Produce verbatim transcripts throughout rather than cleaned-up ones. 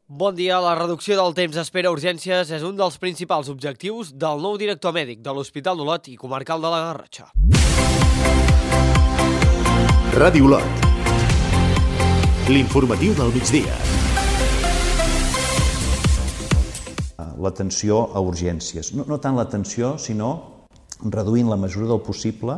Bon dia. La reducció del temps d'espera a urgències és un dels principals objectius del nou director mèdic de l'Hospital d'Olot i Comarcal de la Garrotxa. Ràdio Olot. L'informatiu del migdia. L'atenció a urgències. No, no tant l'atenció, sinó reduint la mesura del possible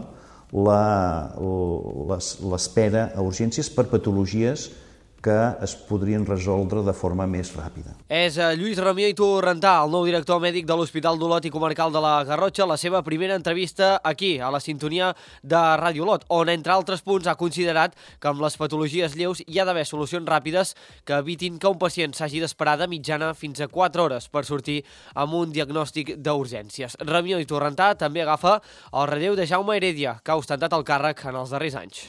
l'espera a urgències per patologies que es podrien resoldre de forma més ràpida. És Lluís Ramió i Torrentà, el nou director mèdic de l'Hospital d'Olot i Comarcal de la Garrotxa, la seva primera entrevista aquí, a la sintonia de Ràdio Olot, on, entre altres punts, ha considerat que amb les patologies lleus hi ha d'haver solucions ràpides que evitin que un pacient s'hagi d'esperar de mitjana fins a quatre hores per sortir amb un diagnòstic d'urgències. Ramió i Torrentà també agafa el relleu de Jaume Heredia, que ha ostentat el càrrec en els darrers anys.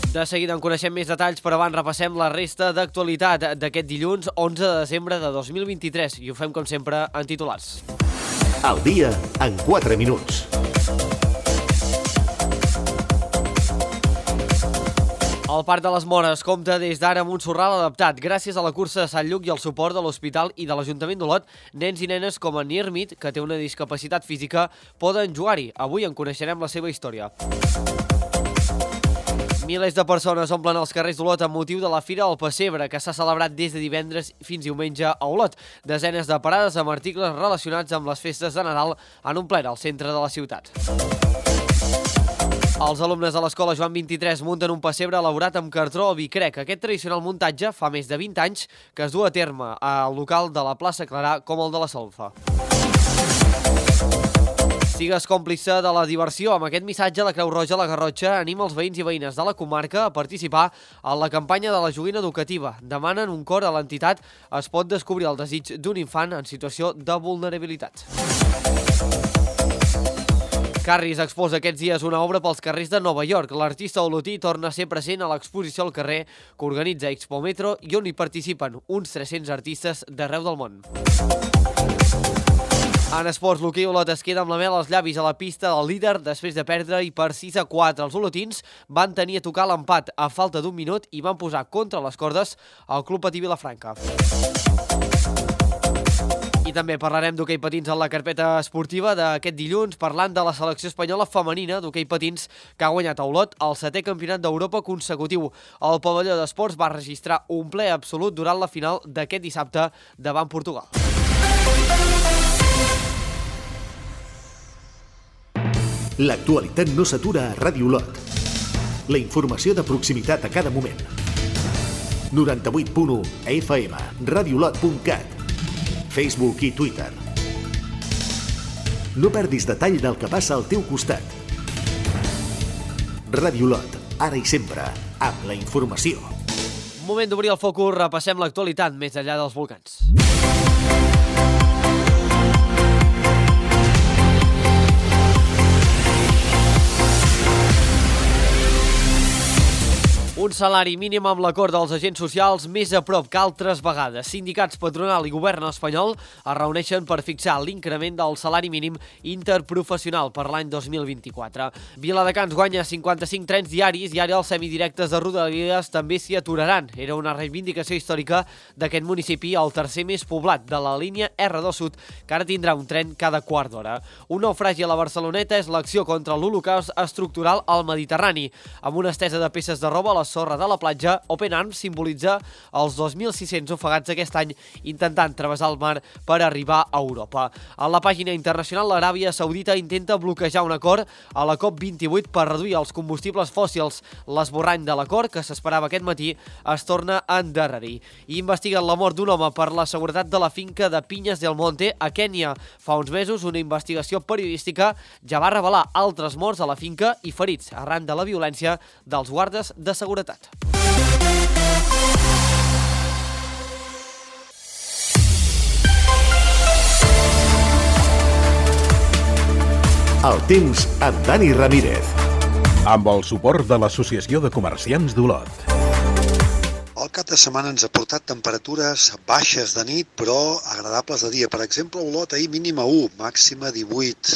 De seguida en coneixem més detalls, però abans repassem la resta d'actualitat d'aquest dilluns onze de desembre de dos mil vint-i-tres i ho fem, com sempre, en titulars. El dia en quatre minuts. El Parc de les Mores compta des d'ara amb un sorral adaptat. Gràcies a la cursa de Sant Lluc i al suport de l'Hospital i de l'Ajuntament d'Olot, nens i nenes com en Nirmit, que té una discapacitat física, poden jugar-hi. Avui en coneixerem la seva història. Milers de persones omplen els carrers d'Olot amb motiu de la Fira del Pessebre, que s'ha celebrat des de divendres fins diumenge a Olot. Desenes de parades amb articles relacionats amb les festes de Nadal han omplert el centre de la ciutat. Els alumnes de l'Escola Joan vint-i-tres munten un pessebre elaborat amb cartró o bicrec. Aquest tradicional muntatge fa més de vint anys que es du a terme al local de la plaça Clarà com el de la Solfa. Sigues còmplice de la diversió. Amb aquest missatge, la Creu Roja a la Garrotxa anima els veïns i veïnes de la comarca a participar en la campanya de la joguina educativa. Demanen un cor a l'entitat. Es pot descobrir el desig d'un infant en situació de vulnerabilitat. Carris exposa aquests dies una obra pels carrers de Nova York. L'artista olotí torna a ser present a l'exposició al carrer que organitza Expo Metro i on hi participen uns tres-cents artistes d'arreu del món. En esports, l'hoquei Olot es queda amb la mel als llavis a la pista del líder després de perdre i per sis a quatre. Els olotins van tenir a tocar l'empat a falta d'un minut i van posar contra les cordes el Club Patí Vilafranca. I també parlarem d'hoquei patins en la carpeta esportiva d'aquest dilluns, parlant de la selecció espanyola femenina d'hoquei patins que ha guanyat a Olot el setè campionat d'Europa consecutiu. El pavelló d'esports va registrar un ple absolut durant la final d'aquest dissabte davant Portugal. L'actualitat no s'atura a Ràdio Olot. La informació de proximitat a cada moment. noranta-vuit punt u F M, radiolot punt cat, Facebook i Twitter. No perdis detall del que passa al teu costat. Ràdio Olot, ara i sempre, amb la informació. Moment d'obrir el focus, repassem l'actualitat més enllà dels volcans. Un salari mínim amb l'acord dels agents socials més a prop que altres vegades. Sindicats, patronal i govern espanyol es reuneixen per fixar l'increment del salari mínim interprofessional per l'any dos mil vint-i-quatre. Viladecans guanya cinquanta-cinc trens diaris i ara els semidirectes de Rodalies també s'hi aturaran. Era una reivindicació històrica d'aquest municipi, el tercer més poblat de la línia R dos Sud, que ara tindrà un tren cada quart d'hora. Un naufragi a la Barceloneta és l'acció contra l'holocaust estructural al Mediterrani. Amb una estesa de peces de roba a la sorra de la platja, Open Arms simbolitza els dos mil sis-cents ofegats aquest any intentant travessar el mar per arribar a Europa. A la pàgina internacional, l'Aràbia Saudita intenta bloquejar un acord a la COP vint-i-vuit per reduir els combustibles fòssils. L'esborrany de l'acord, que s'esperava aquest matí, es torna a endarrerir. I investiguen la mort d'un home per la seguretat de la finca de Pinyes del Monte a Kènia. Fa uns mesos, una investigació periodística ja va revelar altres morts a la finca i ferits arran de la violència dels guardes de seguretat. El temps amb Dani Ramírez. Amb el suport de l'Associació de Comerciants d'Olot. El cap de setmana ens ha portat temperatures baixes de nit, però agradables de dia. Per exemple, a Olot ahir mínima u, màxima divuit.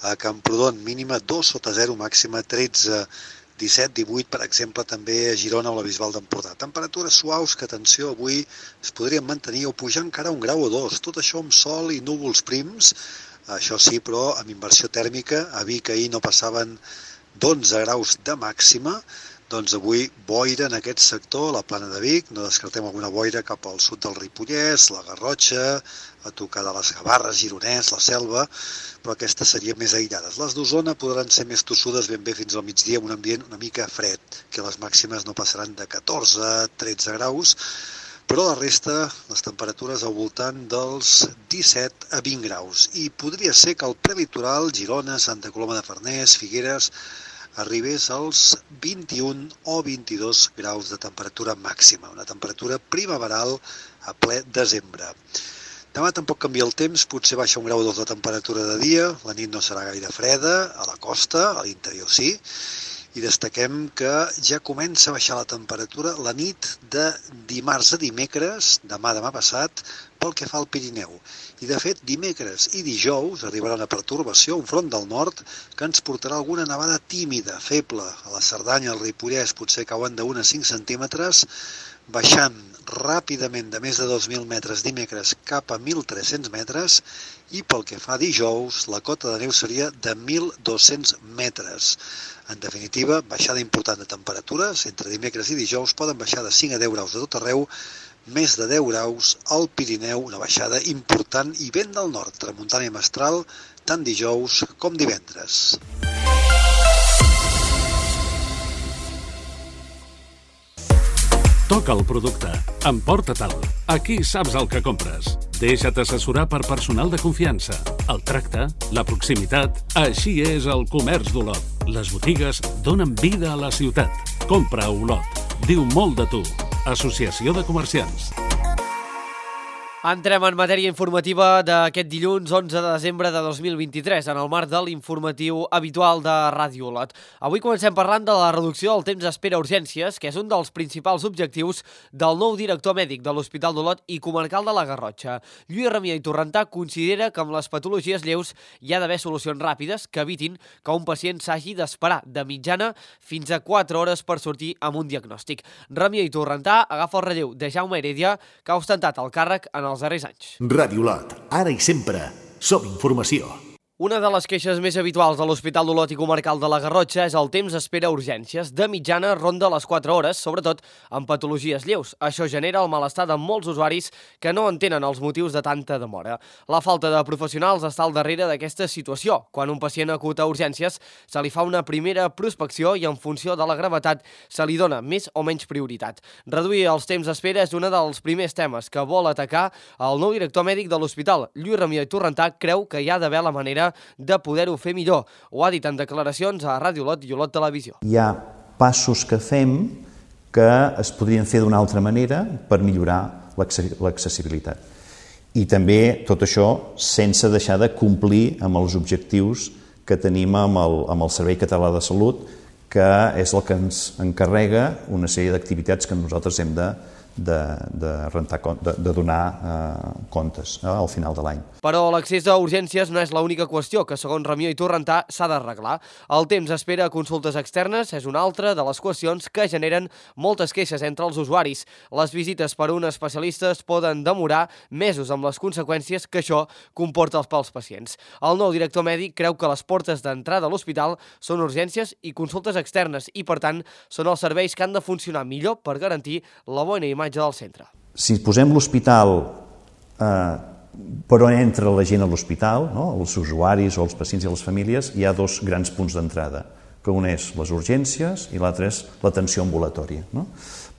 A Camprodon mínima dos sota zero, màxima tretze. disset divuit, per exemple, també a Girona o a la Bisbal d'Empordà. Temperatures suaus que, atenció, avui es podrien mantenir o pujar encara un grau o dos. Tot això amb sol i núvols prims, això sí, però amb inversió tèrmica. A Vic ahir no passaven d'onze graus de màxima, doncs avui boira en aquest sector, la Plana de Vic, no descartem alguna boira cap al sud del Ripollès, la Garrotxa, a tocar de les Gavarres, Gironès, la Selva, però aquestes serien més aïllades. Les d'Osona podran ser més tossudes ben bé fins al migdia, amb un ambient una mica fred, que les màximes no passaran de catorze a tretze graus, però la resta, les temperatures al voltant dels disset a vint graus. I podria ser que el prelitoral, Girona, Santa Coloma de Farners, Figueres, arribés als vint-i-un o vint-i-dos graus de temperatura màxima, una temperatura primaveral a ple desembre. Demà tampoc canvia el temps, potser baixa un grau o dos de temperatura de dia, la nit no serà gaire freda, a la costa, a l'interior sí, i destaquem que ja comença a baixar la temperatura la nit de dimarts a dimecres, demà, demà passat, pel que fa al Pirineu. I de fet, dimecres i dijous arribarà una pertorbació, un front del nord, que ens portarà alguna nevada tímida, feble. A la Cerdanya, al Ripollès, potser cauen d'un a cinc centímetres, baixant ràpidament de més de dos mil metres dimecres cap a mil tres-cents metres, i pel que fa a dijous, la cota de neu seria de mil dos-cents metres. En definitiva, baixada important de temperatures, entre dimecres i dijous poden baixar de cinc a deu graus de tot arreu, més de deu graus al Pirineu, una baixada important i vent del nord, tramuntana i mestral, tant dijous com divendres. Toca el producte. Emporta-te'l. Aquí saps el que compres. Deixa't assessorar per personal de confiança. El tracte, la proximitat... Així és el comerç d'Olot. Les botigues donen vida a la ciutat. Compra a Olot. Diu molt de tu. Associació de Comerciants. Entrem en matèria informativa d'aquest dilluns onze de desembre de dos mil vint-i-tres, en el marc de l'informatiu habitual de Ràdio Olot. Avui comencem parlant de la reducció del temps d'espera a urgències, que és un dels principals objectius del nou director mèdic de l'Hospital d'Olot i comarcal de la Garrotxa. Lluís Ramià i Torrentà considera que amb les patologies lleus hi ha d'haver solucions ràpides que evitin que un pacient s'hagi d'esperar de mitjana fins a quatre hores per sortir amb un diagnòstic. Ramià i Torrentà agafa el relleu de Jaume Heredia, que ha ostentat el càrrec en els darrers anys. Ràdio Olot, ara i sempre, som informació. Una de les queixes més habituals de l'Hospital d'Olot i comarcal de la Garrotxa és el temps d'espera a urgències. De mitjana ronda les quatre hores, sobretot amb patologies lleus. Això genera el malestar de molts usuaris que no entenen els motius de tanta demora. La falta de professionals està al darrere d'aquesta situació. Quan un pacient acut a urgències, se li fa una primera prospecció i en funció de la gravetat se li dona més o menys prioritat. Reduir els temps d'espera és un dels primers temes que vol atacar el nou director mèdic de l'hospital. Lluís Ramià i Torrentà creu que hi ha d'haver la manera de poder-ho fer millor. Ho ha dit en declaracions a Ràdio Olot i Olot Televisió. Hi ha passos que fem que es podrien fer d'una altra manera per millorar l'accessibilitat. I també tot això sense deixar de complir amb els objectius que tenim amb el, amb el Servei Català de Salut, que és el que ens encarrega una sèrie d'activitats que nosaltres hem de de, de, rentar, de, de donar eh, comptes eh, al final de l'any. Però l'accés a urgències no és l'única qüestió que, segons Ramió i Torrentà, s'ha d'arreglar. El temps d'espera a consultes externes és una altra de les qüestions que generen moltes queixes entre els usuaris. Les visites per un especialista es poden demorar mesos amb les conseqüències que això comporta pels pacients. El nou director mèdic creu que les portes d'entrada a l'hospital són urgències i consultes externes i, per tant, són els serveis que han de funcionar millor per garantir la bona imatge del centre. Si posem l'hospital eh, per on entra la gent a l'hospital, no? Els usuaris o els pacients i les famílies, hi ha dos grans punts d'entrada, que un és les urgències i l'altre és l'atenció ambulatòria. No?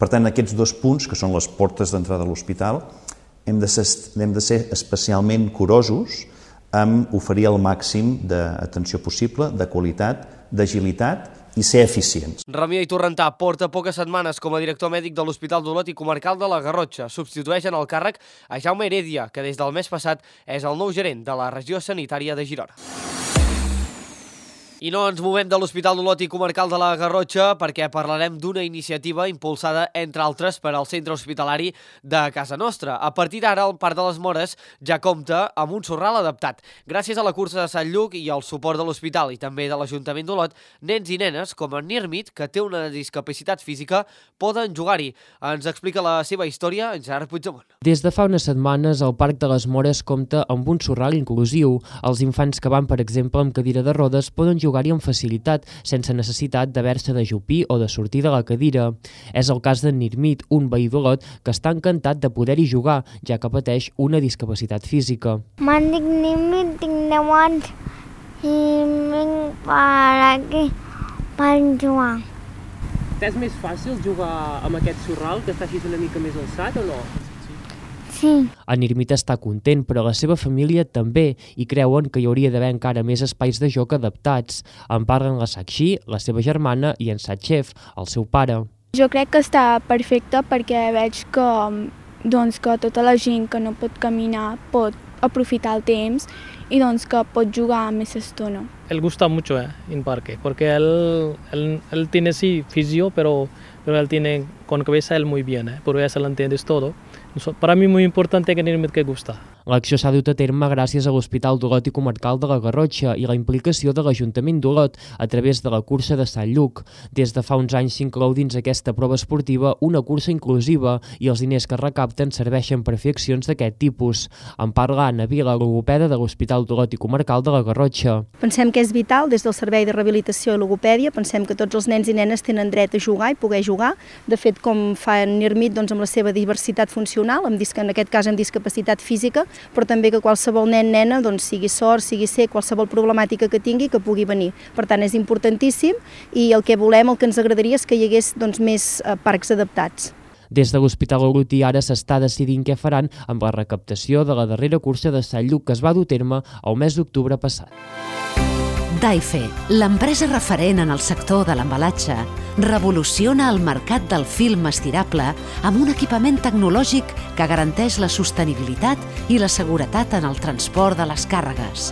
Per tant, aquests dos punts, que són les portes d'entrada a l'hospital, hem de ser, hem de ser especialment curosos amb oferir el màxim d'atenció possible, de qualitat, d'agilitat i ser eficients. Ramià i Torrentà porta poques setmanes com a director mèdic de l'Hospital d'Olot i comarcal de la Garrotxa. Substitueix en el càrrec a Jaume Heredia, que des del mes passat és el nou gerent de la regió sanitària de Girona. I no ens movem de l'Hospital d'Olot i Comarcal de la Garrotxa perquè parlarem d'una iniciativa impulsada, entre altres, per al centre hospitalari de casa nostra. A partir d'ara, el Parc de les Mores ja compta amb un sorral adaptat. Gràcies a la cursa de Sant Lluc i al suport de l'hospital i també de l'Ajuntament d'Olot, nens i nenes, com en Nirmit, que té una discapacitat física, poden jugar-hi. Ens explica la seva història en Gerard Puigdemont. Des de fa unes setmanes, el Parc de les Mores compta amb un sorral inclusiu. Els infants que van, per exemple, amb cadira de rodes poden jugar-hi amb facilitat, sense necessitat d'haver-se d'ajupir o de sortir de la cadira. És el cas d'en Nirmit, un veí d'Olot que està encantat de poder-hi jugar, ja que pateix una discapacitat física. Me'n dic Nirmit, tinc deu anys i vinc per aquí per jugar. És més fàcil jugar amb aquest sorral, que està així una mica més alçat o no? Sí. En Nirmit està content, però la seva família també, i creuen que hi hauria d'haver encara més espais de joc adaptats. En parlen la Sakshi, la seva germana, i en Satchev, el seu pare. Jo crec que està perfecte perquè veig que, doncs, que tota la gent que no pot caminar pot aprofitar el temps y doncs que pot jugar més estona. Él gusta mucho eh, en parque, porque él, él, él tiene sí fisio, pero, pero él tiene con cabeza él muy bien, eh, por eso lo entiendes todo. Para mí muy importante que Nirmit que gusta. L'acció s'ha dut a terme gràcies a l'Hospital d'Olot i Comarcal de la Garrotxa i la implicació de l'Ajuntament d'Olot a través de la cursa de Sant Lluc. Des de fa uns anys s'inclou dins aquesta prova esportiva una cursa inclusiva i els diners que es recapten serveixen per fer accions d'aquest tipus. En parla Anna Vila, logopeda de l'Hospital d'Olot i Comarcal de la Garrotxa. Pensem que és vital des del Servei de Rehabilitació i Logopèdia, pensem que tots els nens i nenes tenen dret a jugar i poder jugar. De fet, com fa Nirmit, doncs, amb la seva diversitat funcional, amb, en aquest cas amb discapacitat física, però també que qualsevol nen, nena, doncs, sigui sord, sigui cec, qualsevol problemàtica que tingui, que pugui venir. Per tant, és importantíssim i el que volem, el que ens agradaria és que hi hagués doncs, més eh, parcs adaptats. Des de l'Hospital Olotí ara s'està decidint què faran amb la recaptació de la darrera cursa de Sant Lluc que es va dur a terme el mes d'octubre passat. Daife, l'empresa referent en el sector de l'embalatge, revoluciona el mercat del film estirable amb un equipament tecnològic que garanteix la sostenibilitat i la seguretat en el transport de les càrregues.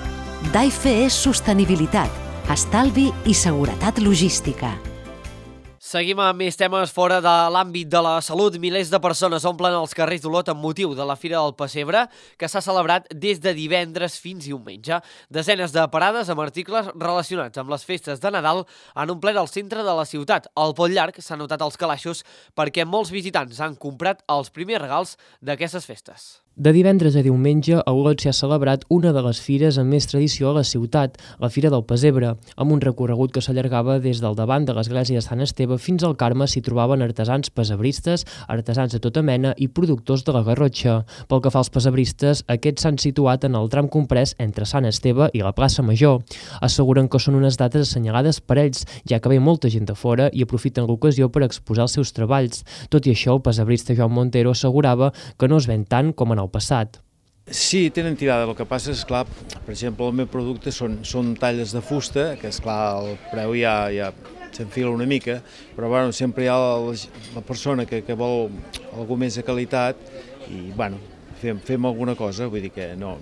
Daife és sostenibilitat, estalvi i seguretat logística. Seguim amb més temes fora de l'àmbit de la salut. Milers de persones omplen els carrers d'Olot amb motiu de la Fira del Pessebre, que s'ha celebrat des de divendres fins diumenge. Desenes de parades amb articles relacionats amb les festes de Nadal han omplert el centre de la ciutat. Al Pont Llarg s'han notat els calaixos perquè molts visitants han comprat els primers regals d'aquestes festes. De divendres a diumenge, a Olot s'ha celebrat una de les fires amb més tradició a la ciutat, la Fira del Pessebre, amb un recorregut que s'allargava des del davant de l'església de Sant Esteve fins al Carme s'hi trobaven artesans pesebristes, artesans de tota mena i productors de la Garrotxa. Pel que fa als pesebristes, aquests s'han situat en el tram comprès entre Sant Esteve i la plaça Major. Asseguren que són unes dates assenyalades per ells, ja que ve molta gent de fora i aprofiten l'ocasió per exposar els seus treballs. Tot i això, el pesebrista Joan Montero assegurava que no es ven tant com en el passat. Sí, tenen tirada. El que passa és, clar, per exemple, el meu producte són, són talles de fusta, que és clar, el preu ja, ja s'enfila una mica, però bueno, sempre hi ha la, la persona que, que vol alguna més de qualitat i bueno, fem, fem alguna cosa, vull dir que no,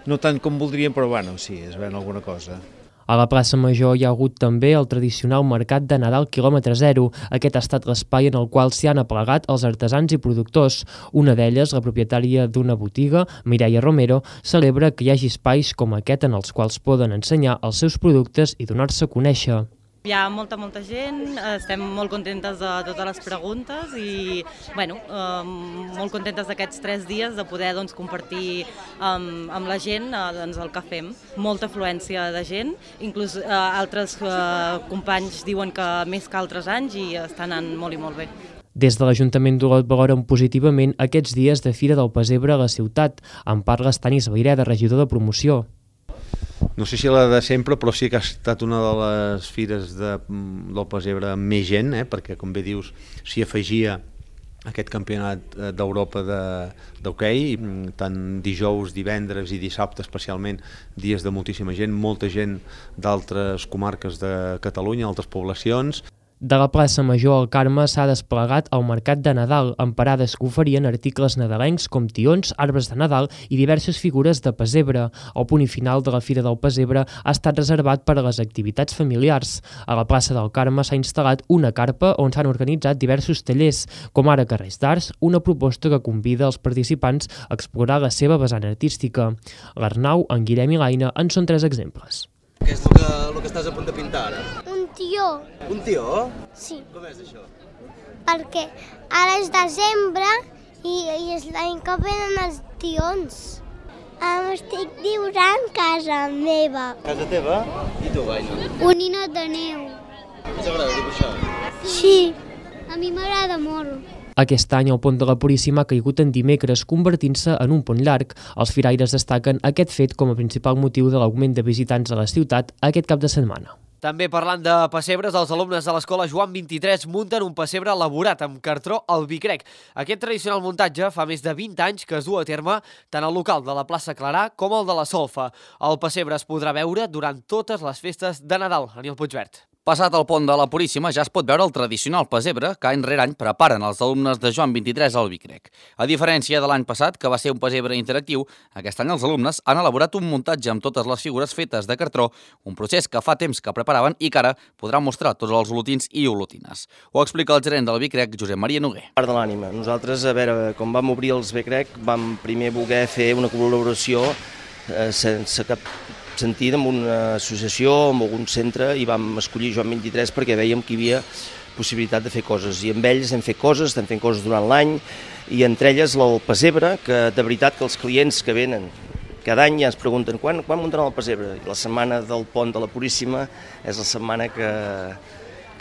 no tant com voldríem, però bueno, sí, es ven alguna cosa. A la plaça Major hi ha hagut també el tradicional mercat de Nadal quilòmetre zero. Aquest ha estat l'espai en el qual s'hi han aplegat els artesans i productors. Una d'elles, la propietària d'una botiga, Mireia Romero, celebra que hi hagi espais com aquest en els quals poden ensenyar els seus productes i donar-se a conèixer. Hi ha molta, molta gent, estem molt contentes de totes les preguntes i bueno, eh, molt contentes d'aquests tres dies de poder doncs, compartir amb, amb la gent eh, doncs, el que fem. Molta afluència de gent, inclús eh, altres eh, companys diuen que més que altres anys i està anant molt i molt bé. Des de l'Ajuntament d'Olot valoren positivament aquests dies de Fira del Pessebre a la ciutat. En parla Stanis Vaireda, regidor de promoció. No sé si la de sempre, però sí que ha estat una de les fires de, del Pessebre amb més gent, eh? Perquè, com bé dius, s'hi afegia aquest campionat d'Europa d'hoquei, tant dijous, divendres i dissabte especialment, dies de moltíssima gent, molta gent d'altres comarques de Catalunya, altres poblacions. De la plaça Major al Carme s'ha desplegat el Mercat de Nadal, amb parades que oferien articles nadalencs com tions, arbres de Nadal i diverses figures de pessebre. El punt i final de la Fira del Pessebre ha estat reservat per a les activitats familiars. A la plaça del Carme s'ha instal·lat una carpa on s'han organitzat diversos tallers, com ara Carrers d'Arts, una proposta que convida els participants a explorar la seva vessant artística. L'Arnau, en Guillem i l'Aina en són tres exemples. Què és el que, el que estàs a punt de pintar ara? Un tió. Un tió? Sí. Com és això? Perquè ara és desembre i, i és l'any que venen els tions. Em estic dibuixant casa meva. Casa teva? I tu, Aina? Un ninot de neu. T'agrada dibuixar? Sí, a mi m'agrada molt. Aquest any el pont de la Puríssima ha caigut en dimecres, convertint-se en un pont llarg. Els firaires destaquen aquest fet com a principal motiu de l'augment de visitants a la ciutat aquest cap de setmana. També parlant de pessebres, els alumnes de l'escola Joan vint-i-tres munten un pessebre elaborat amb cartró al Vicrec. Aquest tradicional muntatge fa més de vint anys que es du a terme tant al local de la plaça Clarà com el de la Solfa. El pessebre es podrà veure durant totes les festes de Nadal. Aniel Puigvert. Passat el pont de la Puríssima ja es pot veure el tradicional pessebre que any rere any preparen els alumnes de Joan vint-i-tres al Vicrec. A diferència de l'any passat, que va ser un pessebre interactiu, aquest any els alumnes han elaborat un muntatge amb totes les figures fetes de cartró, un procés que fa temps que preparaven i que ara podran mostrar tots els olotins i olotines. Ho explica el gerent del Vicrec, Josep Maria Noguer. Part de l'ànima. Nosaltres, a veure, quan vam obrir els Vicrec, vam primer voler fer una col·laboració eh, sense cap sentit amb una associació, amb algun centre, i vam escollir Joan vint-i-tres perquè veiem que hi havia possibilitat de fer coses. I amb ells hem fet coses, estem fent coses durant l'any, i entre elles el pessebre, que de veritat que els clients que venen cada any ja ens pregunten quan, quan muntaran el pessebre. I la setmana del pont de la Puríssima és la setmana que...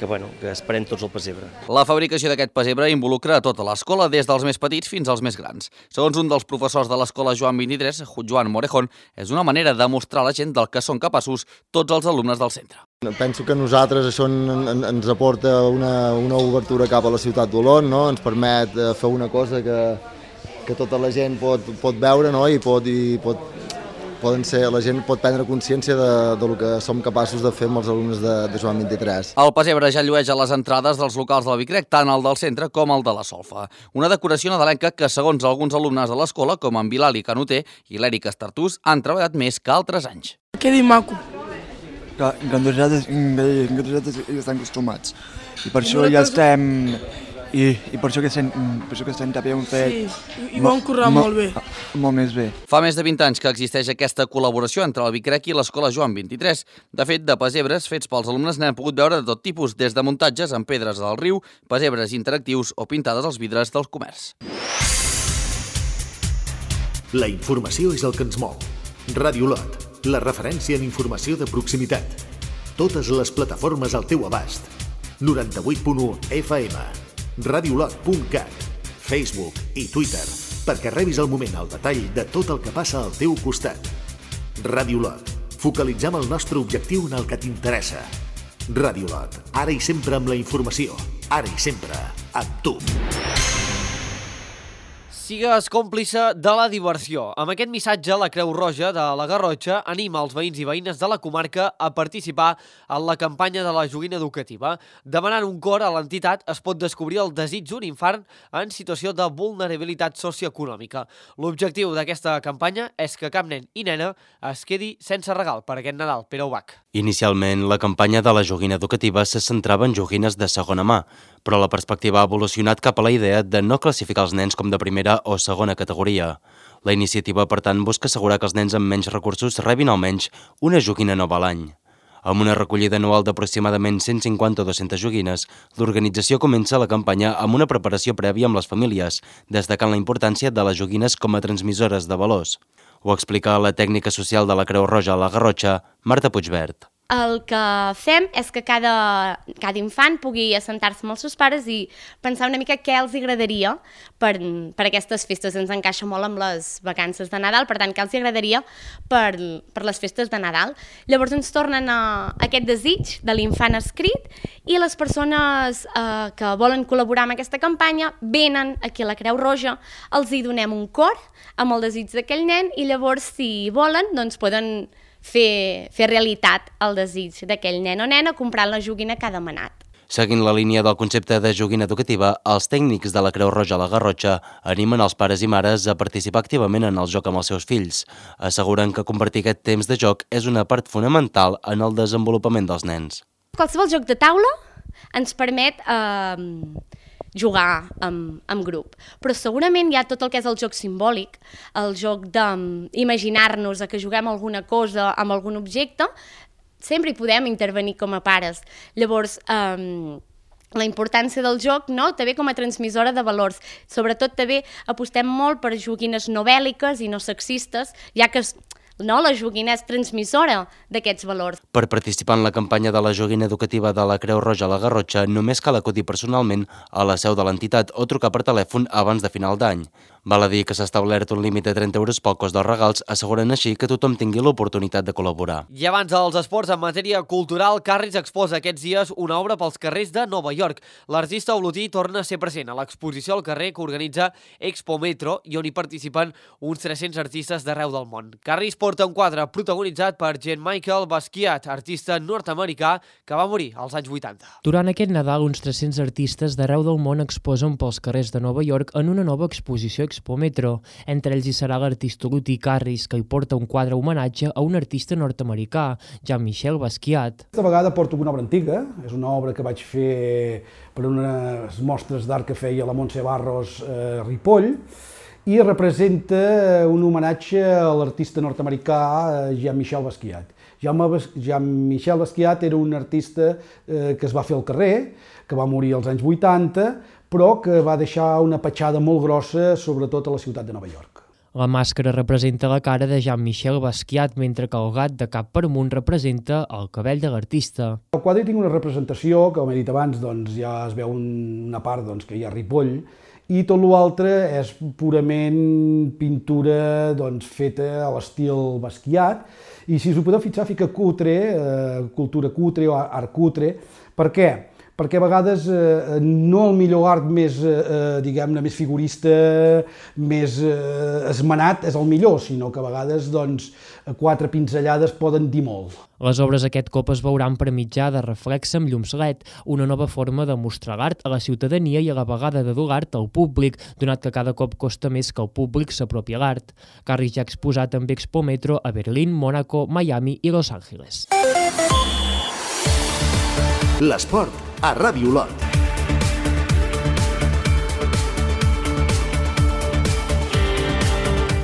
que, bueno, que esperem tots el pessebre. La fabricació d'aquest pessebre involucra a tota l'escola, des dels més petits fins als més grans. Segons un dels professors de l'escola Joan vint-i-tres, Joan Morejón, és una manera de mostrar a la gent del que són capaços tots els alumnes del centre. Penso que a nosaltres això en, en, ens aporta una, una obertura cap a la ciutat d'Olot, no? Ens permet fer una cosa que, que tota la gent pot, pot veure, no? I pot... I pot Poden ser, la gent pot prendre consciència de, de lo que som capaços de fer amb els alumnes de, de Joan vint-i-tres. El pessebre ja llueix a les entrades dels locals del Vicrec, tant el del centre com el de la Solfa. Una decoració nadalenca que, segons alguns alumnes de l'escola, com en Bilali Canuter i l'Èric Estartús, han treballat més que altres anys. Quedi maco. Que, que nosaltres, que nosaltres hi estem acostumats. I per això ja estem... I, i per això que estem, per això que estem també hem fet... Sí, i ho hem currat molt bé. Molt més bé. Fa més de vint anys que existeix aquesta col·laboració entre el Vicrec i l'escola Joan vint-i-tres. De fet, de pessebres fets pels alumnes n'hem pogut veure de tot tipus, des de muntatges amb pedres del riu, pessebres interactius o pintades als vidres del comerç. La informació és el que ens mou. Ràdio Olot, la referència en informació de proximitat. Totes les plataformes al teu abast. noranta-vuit punt u F M. radiolot punt cat, Facebook i Twitter, perquè rebis al moment el detall de tot el que passa al teu costat. Ràdio Olot, focalitzem el nostre objectiu en el que t'interessa. Ràdio Olot, ara i sempre amb la informació, ara i sempre amb tu. Sigues còmplice de la diversió. Amb aquest missatge, la Creu Roja de la Garrotxa anima els veïns i veïnes de la comarca a participar en la campanya de la joguina educativa. Demanant un cor a l'entitat es pot descobrir el desig d'un infant en situació de vulnerabilitat socioeconòmica. L'objectiu d'aquesta campanya és que cap nen i nena es quedi sense regal per aquest Nadal. Pere Ubach. Inicialment, la campanya de la joguina educativa se centrava en joguines de segona mà, però la perspectiva ha evolucionat cap a la idea de no classificar els nens com de primera o segona categoria. La iniciativa, per tant, busca assegurar que els nens amb menys recursos rebin almenys una joguina nova a l'any. Amb una recollida anual d'aproximadament cent cinquanta o dues-centes joguines, l'organització comença la campanya amb una preparació prèvia amb les famílies, destacant la importància de les joguines com a transmissores de valors. Ho explica la tècnica social de la Creu Roja a la Garrotxa, Marta Puigvert. El que fem és que cada, cada infant pugui assentar-se amb els seus pares i pensar una mica què els agradaria per, per aquestes festes. Ens encaixa molt amb les vacances de Nadal, per tant, què els agradaria per, per les festes de Nadal. Llavors ens tornen a, a aquest desig de l'infant escrit i les persones eh, que volen col·laborar amb aquesta campanya venen aquí a la Creu Roja, els hi donem un cor amb el desig d'aquell nen i llavors, si volen, doncs poden Fer, fer realitat el desig d'aquell nen o nena comprant la joguina que ha demanat. Seguint la línia del concepte de joguina educativa, els tècnics de la Creu Roja a la Garrotxa animen els pares i mares a participar activament en el joc amb els seus fills. Asseguren que convertir aquest temps de joc és una part fonamental en el desenvolupament dels nens. Qualsevol joc de taula ens permet eh, jugar amb, amb grup, però segurament hi ha tot el que és el joc simbòlic, el joc d'imaginar-nos que juguem alguna cosa amb algun objecte, sempre hi podem intervenir com a pares. Llavors, eh, la importància del joc, no?, també com a transmissora de valors. Sobretot també apostem molt per joguines no bèl·liques i no sexistes, ja que no, la joguina és transmissora d'aquests valors. Per participar en la campanya de la joguina educativa de la Creu Roja a la Garrotxa només cal acudir personalment a la seu de l'entitat o trucar per telèfon abans de final d'any. Val a dir que s'ha establert un límit de trenta euros pel cost dels regals, asseguren així que tothom tingui l'oportunitat de col·laborar. I abans dels esports, en matèria cultural, Carris exposa aquests dies una obra pels carrers de Nova York. L'artista olotí torna a ser present a l'exposició al carrer que organitza Expo Metro i on hi participen uns tres-cents artistes d'arreu del món. Carris porta un quadre protagonitzat per Jean-Michel Basquiat, artista nord-americà que va morir als anys vuitanta. Durant aquest Nadal, uns tres-cents artistes d'arreu del món exposen pels carrers de Nova York en una nova exposició Expo Metro. Entre ells hi serà l'artista olotí Carris, que hi porta un quadre homenatge a un artista nord-americà, Jean-Michel Basquiat. Aquesta vegada porto una obra antiga, és una obra que vaig fer per unes mostres d'art que feia la Montse Barros eh, Ripoll, i representa un homenatge a l'artista nord-americà Jean-Michel Basquiat. Jean-Michel Basquiat era un artista eh, que es va fer al carrer, que va morir als anys vuitanta, però que va deixar una petjada molt grossa, sobretot a la ciutat de Nova York. La màscara representa la cara de Jean-Michel Basquiat, mentre que el gat de cap per amunt representa el cabell de l'artista. Al quadre tinc una representació, que com he dit abans, doncs, ja es veu una part doncs, que hi ha Ripoll, i tot l'altre és purament pintura doncs, feta a l'estil Basquiat, i si us ho podeu fixar, fica cutre, eh, cultura cutre o art cutre. Per què? Perquè a vegades eh, no el millor art més, eh, diguem-ne, més figurista, més eh, esmenat és el millor, sinó que a vegades doncs, quatre pinzellades poden dir molt. Les obres aquest cop es veuran per mitjà de reflex amb llums L E D, una nova forma de mostrar l'art a la ciutadania i a la vegada de dur l'art al públic, donat que cada cop costa més que el públic s'apropi a l'art. Carris ja ha exposat amb Expo Metro a Berlín, Mònaco, Miami i Los Angeles. L'esport a Ràdio Olot.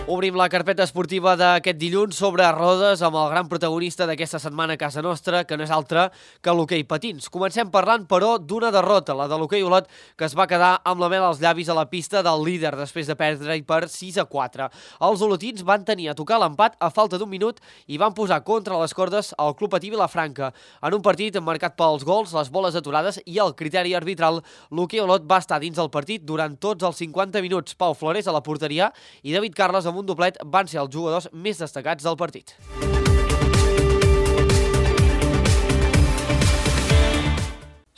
Obrim la carpeta esportiva d'aquest dilluns sobre rodes amb el gran protagonista d'aquesta setmana a casa nostra, que no és altre que l'hoquei patins. Comencem parlant, però, d'una derrota, la de l'hoquei Olot, que es va quedar amb la mel als llavis a la pista del líder després de perdre-hi per sis a quatre. Els olotins van tenir a tocar l'empat a falta d'un minut i van posar contra les cordes el Club Patí Vilafranca. En un partit marcat pels gols, les boles aturades i el criteri arbitral, l'hoquei Olot va estar dins del partit durant tots els cinquanta minuts. Pau Flores a la porteria i David Carles amb un doblet van ser els jugadors més destacats del partit.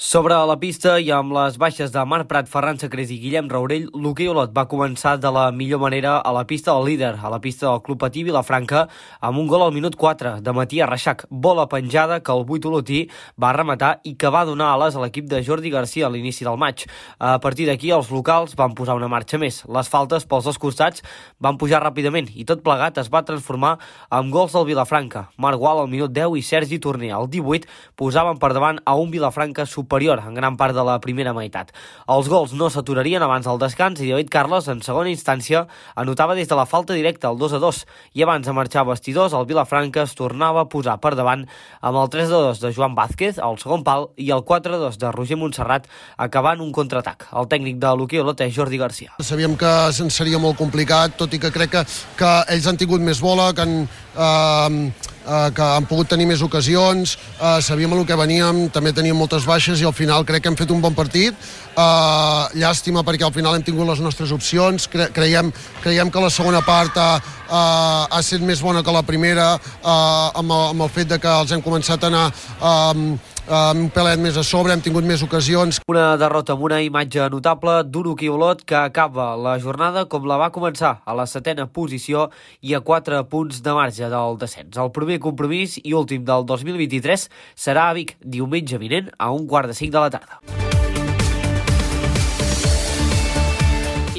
Sobre la pista i amb les baixes de Marc Prat, Ferran Sacrés i Guillem Raurell, l'hoquei Olot va començar de la millor manera a la pista del líder, a la pista del Club Patí Vilafranca, amb un gol al minut quatre de Matías Reixac, bola penjada que el vuit olotí va rematar i que va donar ales a l'equip de Jordi Garcia a l'inici del maig. A partir d'aquí, els locals van posar una marxa més. Les faltes pels dos costats van pujar ràpidament i tot plegat es va transformar en gols del Vilafranca. Marc Gual al minut deu i Sergi Torner al divuit posaven per davant a un Vilafranca superior en gran part de la primera meitat. Els gols no s'aturarien abans del descans i David Carles, en segona instància, anotava des de la falta directa el dos a dos i abans de marxar a vestidors, el Vilafranca es tornava a posar per davant amb el tres a dos de Joan Vázquez al segon pal i el quatre a dos de Roger Montserrat acabant un contraatac. El tècnic de l'hoquei Olot és Jordi Garcia. Sabíem que seria molt complicat, tot i que crec que, que ells han tingut més bola, que han... Eh, que han pogut tenir més ocasions, eh, sabíem el que veníem, també teníem moltes baixes i al final crec que hem fet un bon partit. Eh, llàstima perquè al final hem tingut les nostres opcions, Cre creiem, creiem que la segona part eh, ha estat més bona que la primera, amb el fet que els hem començat a anar un pelet més a sobre, hem tingut més ocasions. Una derrota amb una imatge notable d'un hoquei Olot que acaba la jornada com la va començar, a la setena posició i a quatre punts de marge del descens. El primer compromís i últim del dos mil vint-i-tres serà a Vic, diumenge vinent a un quart de cinc de la tarda.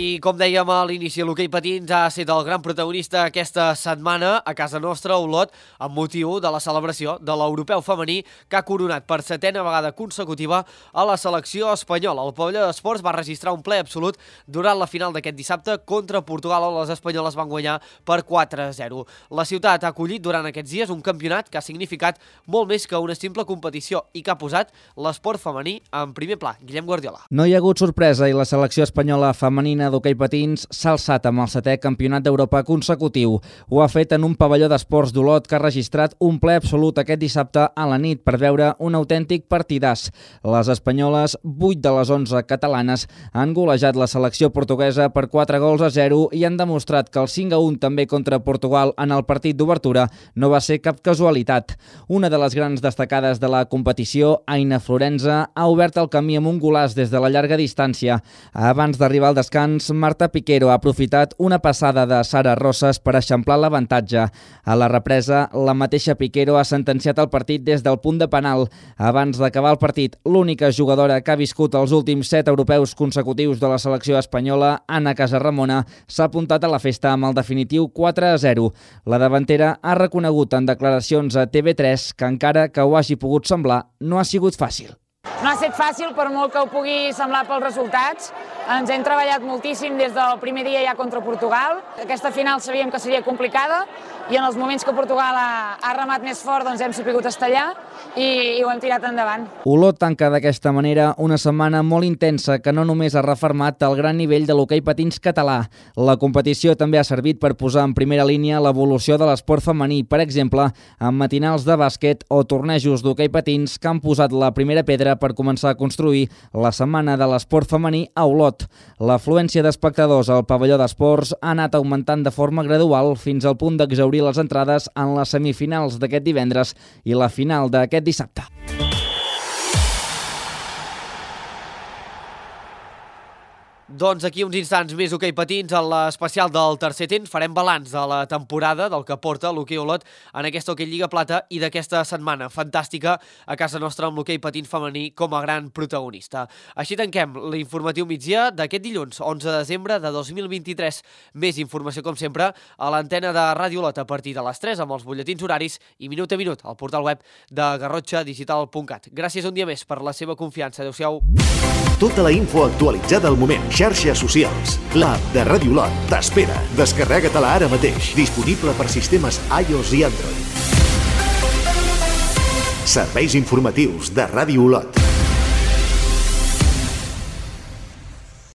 I com dèiem a l'inici, l'hoquei patins ha estat el gran protagonista aquesta setmana a casa nostra, a Olot, amb motiu de la celebració de l'europeu femení que ha coronat per setena vegada consecutiva a la selecció espanyola. El pavelló d'esports va registrar un ple absolut durant la final d'aquest dissabte contra Portugal, on les espanyoles van guanyar per quatre a zero. La ciutat ha acollit durant aquests dies un campionat que ha significat molt més que una simple competició i que ha posat l'esport femení en primer pla. Guillem Guardiola. No hi ha hagut sorpresa i la selecció espanyola femenina d'hoquei patins s'ha alçat amb el setè campionat d'Europa consecutiu. Ho ha fet en un pavelló d'esports d'Olot que ha registrat un ple absolut aquest dissabte a la nit per veure un autèntic partidàs. Les espanyoles, vuit de les onze catalanes, han golejat la selecció portuguesa per quatre gols a zero i han demostrat que el cinc a un també contra Portugal en el partit d'obertura no va ser cap casualitat. Una de les grans destacades de la competició, Aina Florenza, ha obert el camí amb un golaç des de la llarga distància. Abans d'arribar al descans, Marta Piquero ha aprofitat una passada de Sara Rosas per eixamplar l'avantatge. A la represa, la mateixa Piquero ha sentenciat el partit des del punt de penal. Abans d'acabar el partit, l'única jugadora que ha viscut els últims set europeus consecutius de la selecció espanyola, Ana Casaramona, s'ha apuntat a la festa amb el definitiu quatre a zero. La davantera ha reconegut en declaracions a T V tres que encara que ho hagi pogut semblar, no ha sigut fàcil. No ha estat fàcil, per molt que ho pugui semblar pels resultats. Ens hem treballat moltíssim des del primer dia ja contra Portugal. Aquesta final sabíem que seria complicada i en els moments que Portugal ha, ha remat més fort doncs hem sapigut estallar i, i ho hem tirat endavant. Olot tanca d'aquesta manera una setmana molt intensa que no només ha refermat el gran nivell de l'hoquei patins català. La competició també ha servit per posar en primera línia l'evolució de l'esport femení, per exemple, amb matinals de bàsquet o tornejos d'hoquei patins que han posat la primera pedra per començar a construir la setmana de l'esport femení a Olot. L'afluència d'espectadors al pavelló d'esports ha anat augmentant de forma gradual fins al punt d'exhaurir les entrades en les semifinals d'aquest divendres i la final d'aquest dissabte. Doncs aquí uns instants més hoquei patins a l'especial del tercer temps. Farem balanç de la temporada del que porta l'hoquei Olot en aquesta hoquei Lliga Plata i d'aquesta setmana fantàstica a casa nostra amb l'hoquei patins femení com a gran protagonista. Així tanquem l'informatiu migdia d'aquest dilluns, onze de desembre de dos mil vint-i-tres. Més informació, com sempre, a l'antena de Ràdio Olot a partir de les tres amb els butlletins horaris i minut a minut al portal web de garrotxa digital punt cat. Gràcies un dia més per la seva confiança. Adéu-siau. Tota la info actualitzada al moment. Xarxes socials. L'app de Ràdio Olot t'espera. Descarrega-te-la ara mateix. Disponible per sistemes iOS i Android. Serveis informatius de Ràdio Olot.